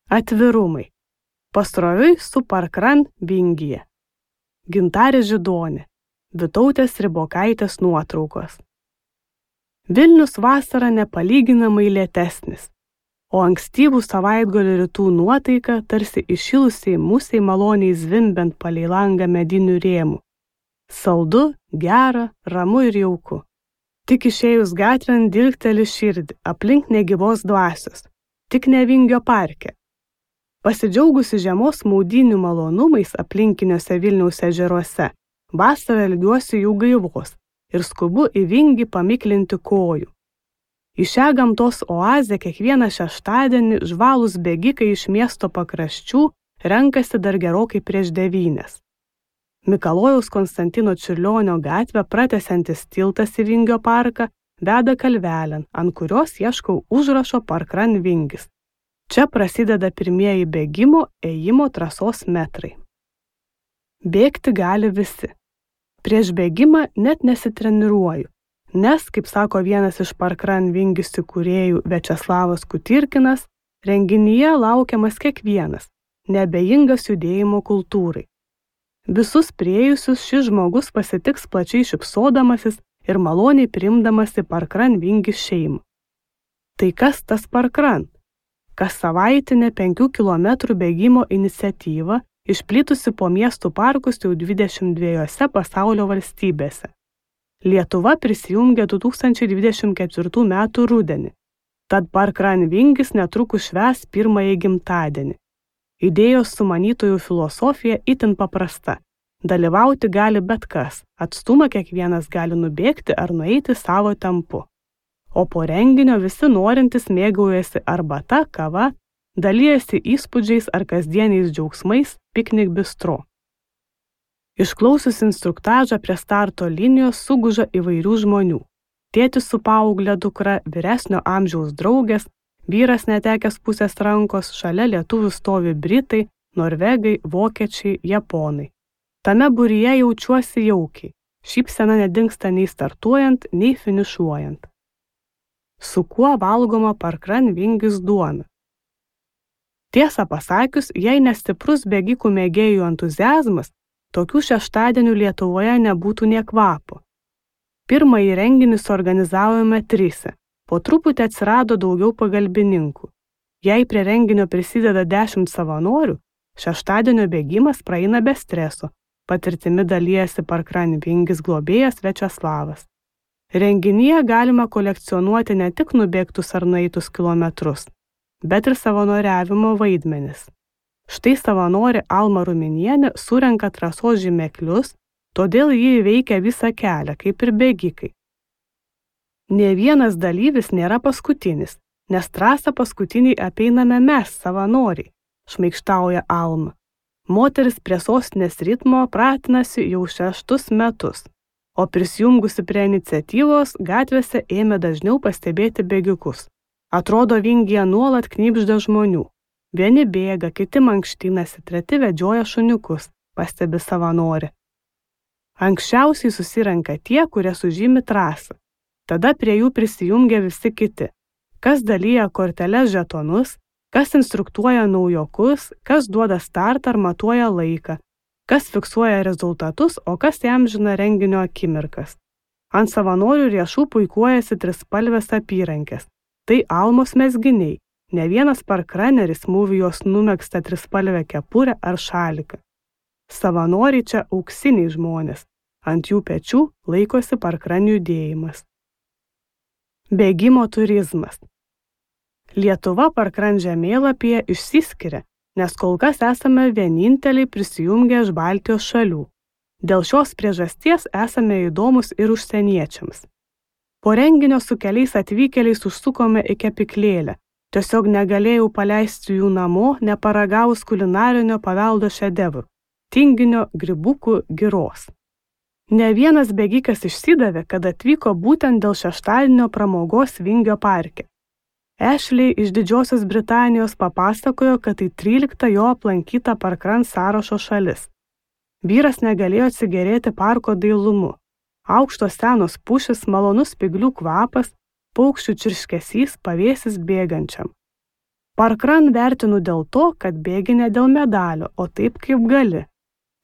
Atvirumai. Pasroviui su Parkran vingyje. Gintarė Židonė. Vytautės Ribokaitės nuotraukos. Vilnius vasara nepalyginamai lėtesnis, o ankstyvų savaitgalio rytų nuotaika tarsi įšilusiai musiai maloniai zvimbiant palei langą medinių rėmų. Saldu, gera, ramu ir jauku. Tik išėjus gatvėn dilgteli širdį, aplink negyvos dvasios, tik ne Vingio parke. Pasidžiaugusi žiemos maudynių malonumais aplinkiniuose Vilniaus ežeruose, vasarą ilgiuosi jų gaivos ir skubu į Vingį pamiklinti kojų. Į šią gamtos oazę kiekvieną šeštadienį žvalūs bėgikai iš miesto pakraščių renkasi dar gerokai prieš 9. Mikalojaus Konstantino Čiurlionio gatvę pratęsiantis tiltas į Vingio parką veda kalvelėn, ant kurios ieškau užrašo Parkran Vingis. Čia prasideda pirmieji bėgimo, ėjimo trasos metrai. Bėgti gali visi. Prieš bėgimą net nesitreniruoju, nes, kaip sako vienas iš Parkran Vingis įkūrėjų Viačeslavas Kutirkinas, renginyje laukiamas kiekvienas, neabejingas judėjimo kultūrai. Visus priėjusius šis žmogus pasitiks plačiai šypsodamasis ir maloniai priimdamas į Parkran Vingis šeimą. Tai kas tas Parkran? Kas savaitinė 5 km bėgimo iniciatyva, išplitusi po miestų parkus jau 22 pasaulio valstybėse. Lietuva prisijungė 2024 m. rudenį, tad Parkran Vingis netrukus švęs pirmąjį gimtadienį. Idėjos sumanytojų filosofija itin paprasta. Dalyvauti gali bet kas, atstumą kiekvienas gali nubėgti ar nueiti savo tempu. O po renginio visi norintys mėgaujasi arbata, kava, dalijasi įspūdžiais ar kasdieniais džiaugsmais piknik bistro. Išklausius instruktažą prie starto linijos suguža įvairių žmonių. Tėtis su paauglė dukra, vyresnio amžiaus draugės, vyras netekęs pusės rankos, šalia lietuvių stovi britai, norvegai, vokiečiai, japonai. Tame būryje jaučiuosi jaukiai, šypsena nedingsta nei startuojant, nei finišuojant. Su kuo valgoma Parkran Vingis duona? Tiesą pasakius, jei nestiprus bėgikų mėgėjų entuziazmas, tokių šeštadienių Lietuvoje nebūtų nė kvapo. Pirmąjį renginį suorganizavome 3, po truputį atsirado daugiau pagalbininkų. Jei prie renginio prisideda 10 savanorių, šeštadienio bėgimas praeina be streso, patirtimi dalijasi Parkran Vingis globėjas Viačeslavas. Renginyje galima kolekcionuoti ne tik nubėgtus ar nueitus kilometrus, bet ir savanoriavimo vaidmenis. Štai savanorė Alma Ruminienė surenka trasos žymeklius, todėl ji įveikia visą kelią, kaip ir bėgikai. Nė vienas dalyvis nėra paskutinis, nes trasą paskutiniai apeiname mes, savanoriai, šmaikštauja Alma. Moteris prie sostinės ritmo pratinasi jau 6 metus. O prisijungusi prie iniciatyvos gatvėse ėmė dažniau pastebėti bėgikus. Atrodo, Vingyje nuolat knibžda žmonių. Vieni bėga, kiti mankštinasi, treti vedžioja šuniukus, pastebi savanorė. Anksčiausiai susirenka tie, kurie sužymi trasą. Tada prie jų prisijungia visi kiti. Kas dalyja korteles žetonus, kas instruktuoja naujokus, kas duoda startą ar matuoja laiką, kas fiksuoja rezultatus, o kas įamžina renginio akimirkas. Ant savanorių riešų puikuojasi trispalvės apyrankės. Tai Almos mezginiai, ne vienas parkraneris mūvi jos numegztą trispalvę kepurę ar šaliką. Savanoriai čia auksiniai žmonės, ant jų pečių laikosi Parkran judėjimas. Bėgimo turizmas. Lietuva Parkran žemėlapyje išsiskiria, nes kol kas esame vieninteliai prisijungę iš Baltijos šalių. Dėl šios priežasties esame įdomus ir užsieniečiams. Po renginio su keliais atvykėliais užsukome į kepyklėlę. Tiesiog negalėjau paleisti jų namo, neparagavus kulinarinio paveldo šedevrų – tinginio, grybukų, giros. Ne vienas bėgikas išsidavė, kad atvyko būtent dėl šeštadienio pramogos Vingio parke. Ashley iš Didžiosios Britanijos papasakojo, kad tai 13 jo aplankyta Parkran sąrašo šalis. Vyras negalėjo atsigerėti parko dailumu. Aukštos senos pušys, malonus spyglių kvapas, paukščių čirškesys, pavėsis bėgančiam. Parkrun vertinu dėl to, kad bėgi ne dėl medalio, o taip kaip gali.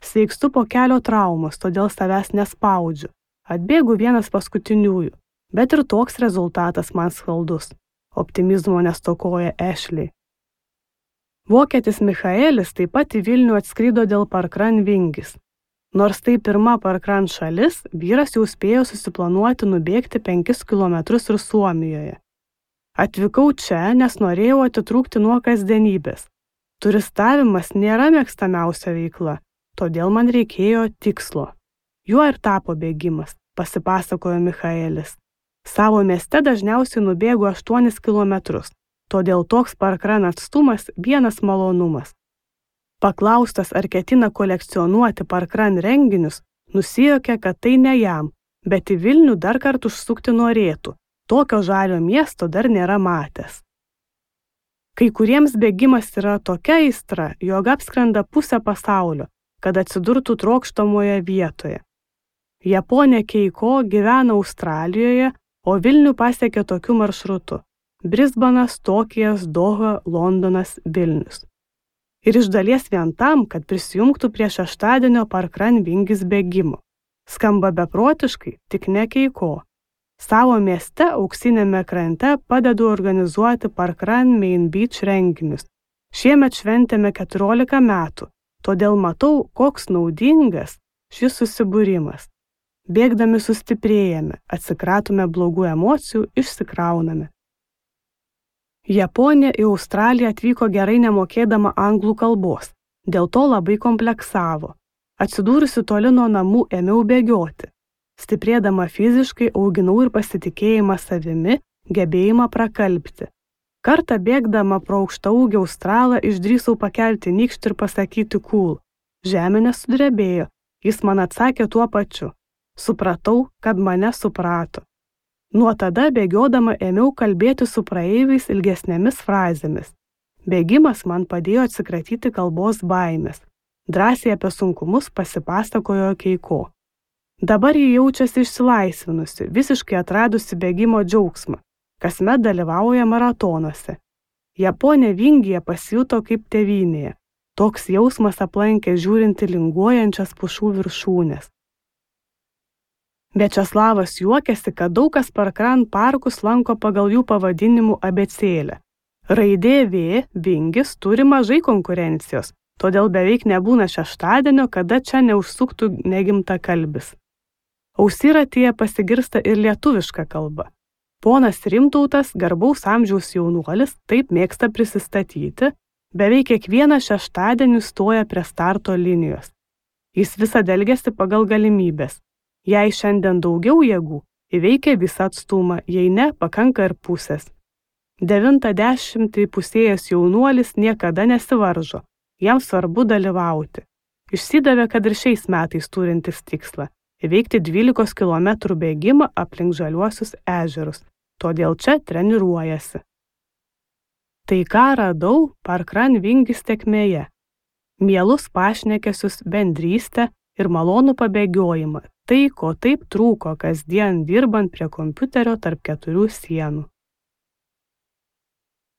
Sveikstu po kelio traumos, todėl savęs nespaudžiu. Atbėgu vienas paskutiniųjų, bet ir toks rezultatas man skaldus. Optimizmo nestokoja Ashley. Vokietis Michaelis taip pat į Vilnių atskrido dėl Parkrun vingis. Nors tai pirma Parkrun šalis, vyras jau spėjo susiplanuoti nubėgti 5 kilometrus ir Suomijoje. Atvykau čia, nes norėjau atitrūkti nuo kasdienybės. Turistavimas nėra mėgstamiausia veikla, todėl man reikėjo tikslo. Juo ir tapo bėgimas, pasipasakojo Michaelis. Savo mieste dažniausiai nubėgu 8 kilometrus, todėl toks Parkrun atstumas vienas malonumas. Paklaustas, ar ketina kolekcionuoti Parkrun renginius, nusijuokė, kad tai ne jam, bet į Vilnių dar kartą užsukti norėtų. Tokio žalio miesto dar nėra matęs. Kai kuriems bėgimas yra tokia aistra, jog apskrenda pusę pasaulio, kad atsidurtų trokštamoje vietoje. Japonė Keiko gyvena Australijoje, o Vilnių pasiekė tokiu maršrutu: Brisbanas, Tokijas, Doha, Londonas, Vilnius. Ir iš dalies vien tam, kad prisijungtų prie šeštadienio Parkrun vingis bėgimo. Skamba beprotiškai, tik ne Keiko. Savo mieste Auksiniame krante padedu organizuoti Parkrun Main Beach renginius. Šiemet šventėme 14 metų, todėl matau, koks naudingas šis susibūrimas. Bėgdami sustiprėjame, atsikratome blogų emocijų, išsikrauname. Japonė į Australiją atvyko gerai nemokėdama anglų kalbos, dėl to labai kompleksavo. Atsidūrusi toli nuo namų ėmiau bėgioti. Stiprėdama fiziškai auginau ir pasitikėjimą savimi, gebėjimą prakalbti. Kartą bėgdama pro aukštaūgį Australą išdrįsau pakelti nykštį ir pasakyti cool. Žemė nesudrebėjo, jis man atsakė tuo pačiu. Supratau, kad mane suprato. Nuo tada bėgiodama ėmiau kalbėti su praeiviais ilgesnėmis frazėmis. Bėgimas man padėjo atsikratyti kalbos baimės. Drąsiai apie sunkumus pasipasakojo Keiko. Dabar ji jaučiasi išsilaisvinusi, visiškai atradusi bėgimo džiaugsmą. Kasmet dalyvauja maratonuose. Japonė vingyje pasijuto kaip tėvynėje. Toks jausmas aplankė žiūrinti linguojančias pušų viršūnės. Viačeslavas juokiasi, kad daug kas Parkrun parkus lanko pagal jų pavadinimų abėcėlę. Raidė V, vingis, turi mažai konkurencijos, todėl beveik nebūna šeštadienio, kada čia neužsuktų negimtakalbis. Ausiratyje pasigirsta ir lietuviška kalba. Ponas Rimtautas, garbaus amžiaus jaunuolis, taip mėgsta prisistatyti, beveik kiekvieną šeštadienį stoja prie starto linijos. Jis visada elgiasi pagal galimybės. Jei šiandien daugiau jėgų, įveikia visą atstumą, jei ne, pakanka ir pusės. 90 įpusėjęs jaunuolis niekada nesivaržo, jam svarbu dalyvauti. Išsidavė, kad ir šiais metais turintis tikslą – įveikti 12 km bėgimą aplink žaliuosius ežerus, todėl čia treniruojasi. Tai ką radau Parkrun vingis tėkmėje. Mielus pašnekesius, bendrystę ir malonų pabėgiojimą. Tai, ko taip trūko kasdien dirbant prie kompiuterio tarp 4 sienų.